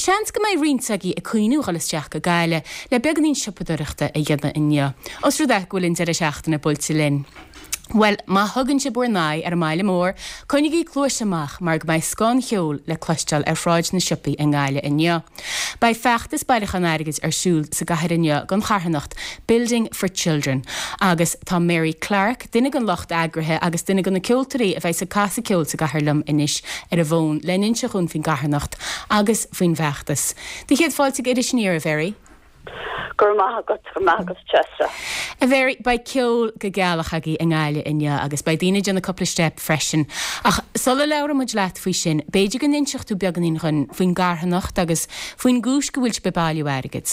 seans go mbeidh roinnt agaibh ag cuimhniú dhul isteach go Gaillimh le beagáinín siopadóireachta a dhéanamh inniu, os rud é go bhfuil an deireadh seachtaine buailte linn. Bhuel, má thugann sibh bhur n-aghaidh ar an mbaile mór, coinnigí cluais amach mar go mbeidh scoth an cheoil le cloisteáil ar Shráid na Siopaí i nGaillimh inniu. Beidh feachtas bailiúcháin airgid ar siúl sa gcathair inniu don charthanacht Building for Children agus tá Mary Clarke, duine den lucht eagraithe agus duine de na ceoltóirí a bheidh ag casadh ceoil sa gcathair liom anois ar an bhfón le n-inse dhúinn faoin gcarthanacht agus faoin bhfeachtas. Do chéad fáilte go Iris Aniar, a Mhary. Go raibh maith agat, go raibh maith agat Treasa. A Mhary, beidh ceol go gealach agaibh i nGaillimh inniu agus beidh daoine ag déanamh cúpla steip freisin. Ach sula labhraíonn muid leat faoi sin, b'fhéidir go n-inseodh tú beagáinín dhúinn faoin gcarthanacht agus faoin gcúis go bhfuil sibh ag bailiú airgid.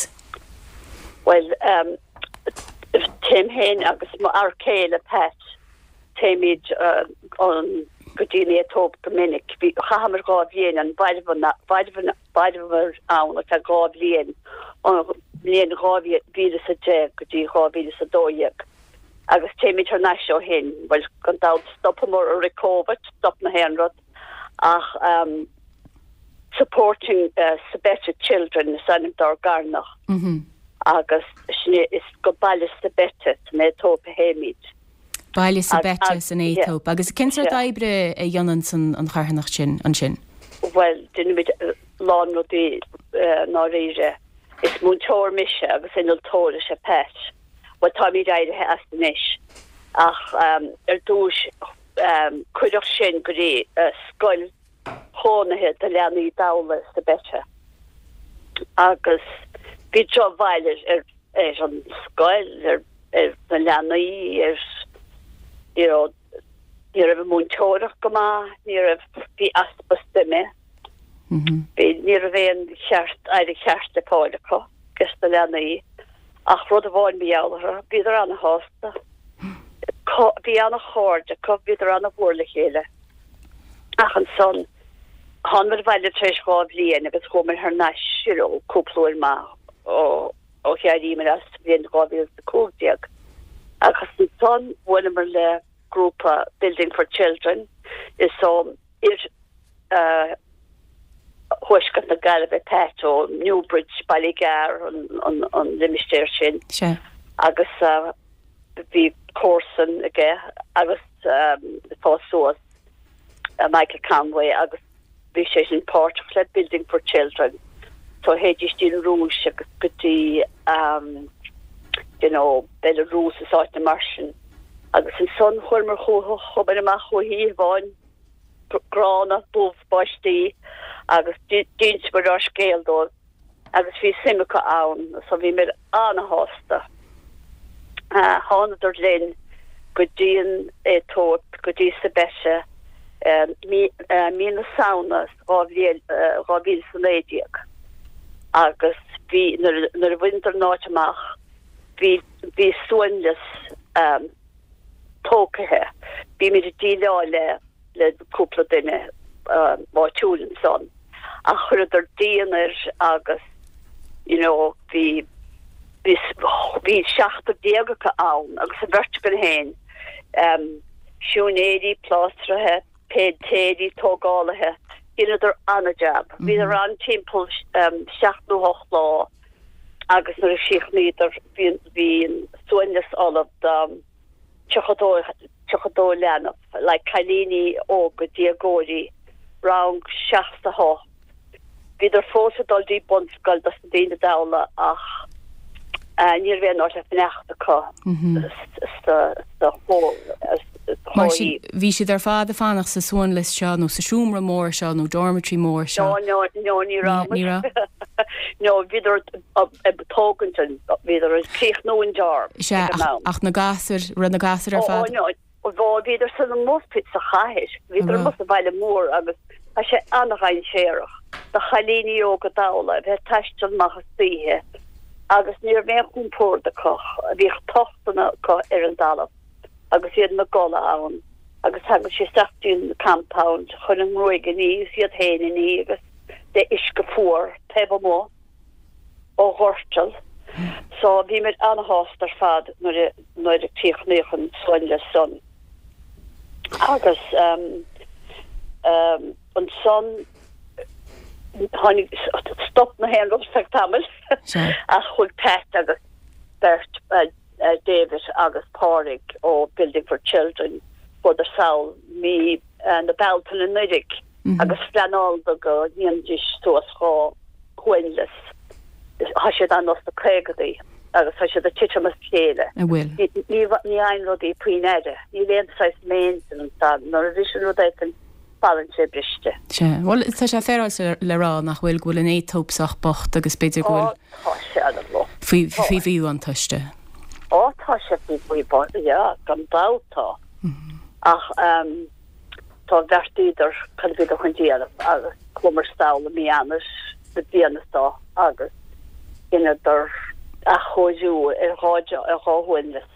Bhuel, téim féin agus mo fhear céile Pat, téimid go dtí an Aetóip go minic. Chaitheamar 2 bhliain ann, Mhaireamar ann ar feadh 2 bhliain, ón mbliain 2010 go dtí 2012, agus téimid thar n-ais ó shin. Bhuel, gan dabht, stopamar i rith Covid, stop na haon rud, ach Supporting Sebeta Children is ainm dár gcarthanacht, agus sin é, is go baile Sebeta san Aetóip a théimid. Baile Sebeta san Aetóip. Agus cén sórt oibre a dhéanann an charthanacht sin ansin? Bhuel, déanaimid a lán rudaí i ndáiríre. Is múinteoir mise agus innealtóir is ea Pat. Bhuel, táimid éirithe as anois. Ach ar dtús, cuireadh sinn go dtí scoil chónaithe do leanaí dalla Sebeta agus bhí drochbhail ar ar an scoil, ar ar na leanaí, ar you know, ní raibh an múinteoireacht go maith, ní raibh, bhí easpa suime, bhí, ní raibh aon cheart, aire cheart le fáil acu, dos na leanaí. Ach rud amháin mar gheall orthu, bhíodar ana-shásta. Bhí ana-chairde acu, bhíodar ana-mhór le chéile. Ach ansan, thánamar abhaile tar éis 2 bhliain agus chuamar thar n-ais, you know, cúpla uair maith ó ó d'éiríomar as sa bhliain 2015. Agus ansan bhuaileamar le grúpa Building for Children, is ó iar thuaisceart na Gaillimhe Pat ó Newbridge, Baile Gearr, an limistéar sin. Sea. Agus bhí comharsan aige agus fás suas, Michael Conway, agus bhí sé sin páirteach le Building for Children. So théidís dtí an Rúis agus go dtí you know, Belarus is áiteanna mar sin. Agus ansan chuamar chucu, chuamar amach chucu oíche amháin. gránna dubh báistí agus d'inseamar ár scéal dóibh agus bhí suim acu ann so bhíomar ana-shásta. Thánadar linn go dtí an Aetóip, go dtí Sebeta mí na Samhna 2019 agus bhí nuair a bhaineadar an áit amach bhí bhí suanlios tógtha. Bhímid ag déileáil le le cúpla duine áitiúil ansan ach chuireadar díon air agus you know bhí bhí bhí 17 acu ann agus an bheirt againn féin, siúinéirí, plástraithe, péintéirí, tógálaithe, dheineadar ana-jab. Bhíodar ann timpeall 7 nó 8 lá agus nuair a chríochnaíodar bhí bhí an suanlios ullamh do 32 32 leanbh, like cailíní óga, déagóirí, rang 7 's 8. Bhíodar fós ag dul dtí bunscoil dos na daoine dalla ach ní raibh aon áit le fanacht acu sa sa Mar sin, bhí siad ar fad ag fanacht sa suanlios seo nó sa seomra mór seo nó dormitory mór seo? No, no, no, ní raibh. Ní raibh? No, bhíodar ag tógaint an, bhíodar ag críochnú an dorm Sea, ag an am. ach na gasúir, raibh na gasúir ar fad? Ó, no, bhí, bhíodar san amuigh sa chathair, bhíodar amuigh sa bhaile mór agus tá sé an-dhainséarach do chailíní óga dalla a bheith ag taisteal amach istoíche agus ní raibh aon chompord acu, bhíodh tochtanna acu ar an dtalamh. agus iad ina gcodladh ann agus thagadh siad isteach dtí an compound chun a ngruaig a ní agus iad féin a ní agus le uisce fuar taobh amuigh ó dhoirteal. So bhí muid ana-shásta ar fad nuair a nuair a críochnaíodh an suanlios san. Agus um, um, ansan. Tháinig, stop na haon rud ar feadh tamaill ach chuaigh Pat agus beirt, David agus Pádraig ó Building for Children, chuadar sall mí na Bealtaine anuraidh agus phleanáladar go ndéanfaidís suas 2 shuaimhneas. Tá siad ann ós na caogadaí agus tá siad ag titim as a chéile. An bhfuil? Ní fhaigheann rudaí puinn aire. Níl aon saghas maintenance ann. Nuair a bhriseann rud éicint fanann sé briste. Sea. Bhuel, tá sé féaráilte le rá nach bhfuil, go bhfuil an Aetóip sách bocht agus b'fhéidir go bhfuil. Ó, tá sé an-bhocht. Faoi, faoi mhíbhuntáiste. Ó, tá sé faoi mhíbhuntáiste, yeah, gan dabht tá. Ach tá bheartaíodar cad a bhíodar chun déanamh agus chuamar sall i mí Eanáir na bliana seo agus dheineadar athchóiriú ar dhá, ar dhá shuaimhneas.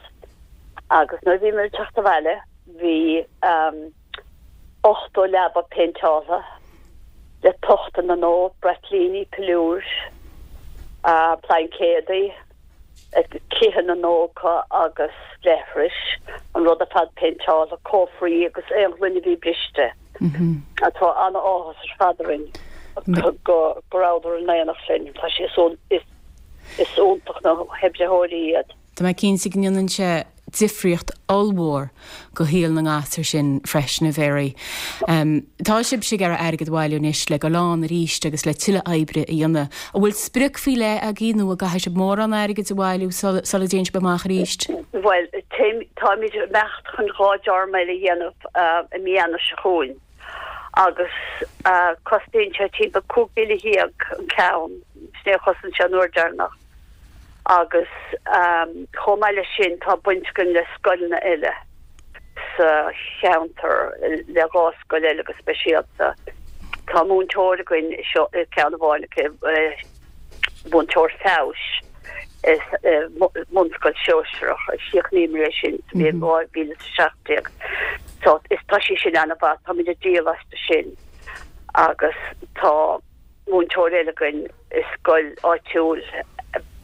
Agus nuair a bhíomar ag teacht abhaile bhí 80 leaba péinteáltha le tochtanna nó braitlíní, piliúir, plaincéadaí, cithina nócha agus leithris, an rud ar fad péinteáltha, cófraí agus aon ghloine a bhí briste. Tá an-áthas ar fad orainn go rabhadar in éineacht linn. Tá sé is iontach na hoibritheoirí iad. Tá mé cinnte go ndéanann sé difríocht ollmhór go shaol na ngasúr sin freisin, a Mhary. Tá sibhse ag iarraidh airgead a bhailiú anois le dul ann arís agus le tuilleadh oibre a dhéanamh. An bhfuil sprioc faoi leith agaibh nó an gcaithfidh sibh mórán airgid a bhailiú sula dtéann sibh amach arís? Bhuel, táimid ag imeacht chun 2 dream eile a dhéanamh i mí Eanáir seo chugainn agus cosnaíonn sé timpeall 15,000 an ceann, sin é a chosain sé an uair deireanach. agus chomh maith leis sin tá baint againn le scoileanna eile sa cheantar, le 2 scoil eile go speisialta. Tá múinteoir againn seo i ceann amháin acu, múinteoir feabhais i mbunscoil shóisearach, chríochnaíomar é sin sa bhliain 2017. So is tá sí sin an-mhaith, táimid ag díol astu sin agus tá múinteoir eile againn i scoil áitiúil,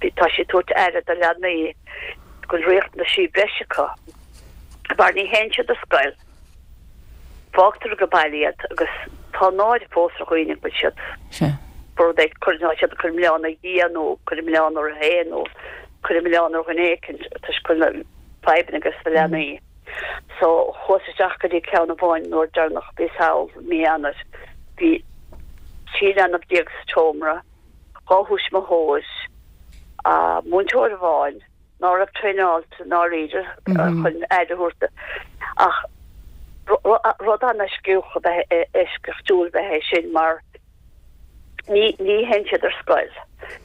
tá sí ag tabhairt aire do leanaí go bhfuil riachtanaisí breise acu. Mar ní théann siad ar scoil, fágtar ag baile iad agus tá náire fós ar dhaoine go bhfuil siad Sea. rud é, cuireann siad ag cur milleán ar Dhia nó cur milleán orthu féin nó cur milleán ar dhuine éicint toisc go bhfuil fadhbanna ages na leanaí. So, chuas isteach go dtí ceann amháin an uair deireanach a bhíos thall, mí Eanáir. Bhí 13 leanbh sa tseomra, 2 thuismitheoir, múinteoir amháin ná raibh traenáilte i ndáiríre chun aire a thabhairt ach rud an-eisceachtúil ab ea é sin mar ní ní théann siad ar scoil.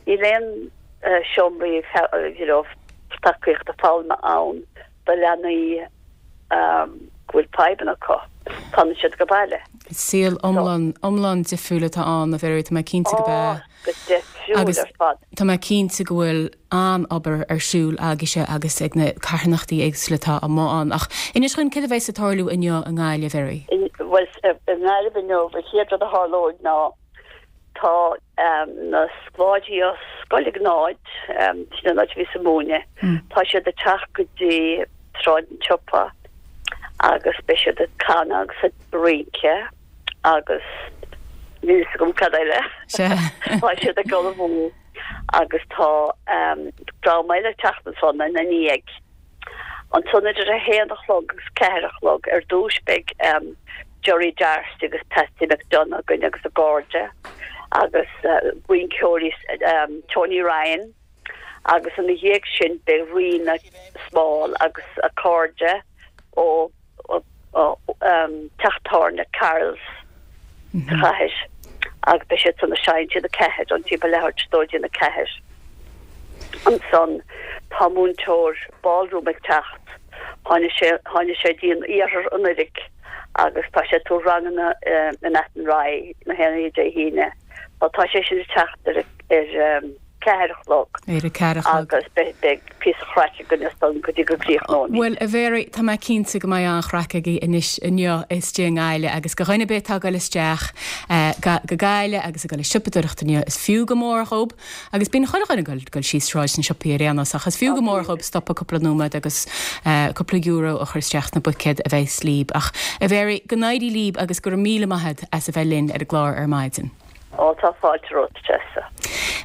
Níl aon seomraí you know tacaíochta foghlama ann. do leanaí go bhfuil fadhbanna acu, fanann siad ag baile. Saol iomlán, iomlán difriúil atá ann, a Mhary, tá mé cinnte gurb ea. Ó, go difriúil ar fad. Tá mé cinnte go bhfuil an-obair ar siúl agaibhse agus ag na carthanachtaí éagsúla atá amuigh ann. Ach inis dhúinn céard a bheas ag tarlú inniu i nGaillimh, a Mhary? Bhuel, i nGaillimh inniu, an chéad rud a tharlóidh ná Tá na scoláirí ó Scoil Iognáid, sin an áit a bhíos ag múineadh, tá siad ag teacht go dtí Sráid an tSiopa agus beidh siad ag canadh agus ag rince agus níl fhios agam cad eile. Tá siad ag ullmhú agus tá dream eile ag teacht ansan ina ndiaidh. Ansan idir a haon a chlog agus ceathair a chlog ar dtúis beidh Gerry D'Arcy agus Patsy McDonagh againn agus a gcairde agus rinceoirí Tony Ryan agus ina dhiaidh sin beidh Ríona Small agus a cairde ó teach tábhairne Carroll's sa chathair agus beidh siad san ag seinnt ag a ceathair, ón timpeall leathuair tar éis a dó go dtí a ceathair. Ansan tá múinteoir ballroom ag teacht, tháinig sé, tháinig sé dtí an iarthar anuiridh agus tá sé ag tabhairt ranganna in Athenry na haon oíche Dé hAoine. Tá sé sin ag teacht ar ar ceathair a chlog. Ar a ceathair a chlog. Agus beidh píosa chraic againn ansan go dtí go gcríochnóimid. Bhuel, a Mhary, tá mé cinnte go mbeidh an-chraic agaibh anois inniu istigh i nGaillimh agus go dhuine ar bith atá ag dul isteach go Gaillimh agus ag dul ag siopadóireacht inniu, is fiú go mór dhób, agus bíonn chuile dhuine ag dul síos Sráid na Siopaí ar aon nós, ach is fiú go mór dhób stopadh cúpla nóiméad agus cúpla euro a chur isteach sna buicéid a bheas líb. Ach, a Mhary, go n-éirí líb agus go raibh míle maith a't as a bheith linn ar an gclár ar maidin. Ó tá fáilte romhat, Treasa.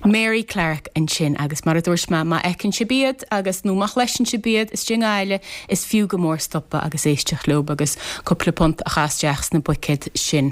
Mary Clarke ansin agus mar a dúirt mé, má fheiceann sibh iad agus, nó má chloiseann sibh iad istigh i nGaillimh, is fiú go mór stopadh agus éisteacht leob agus cúpla punt a chaitheamh isteach sna buicéid sin.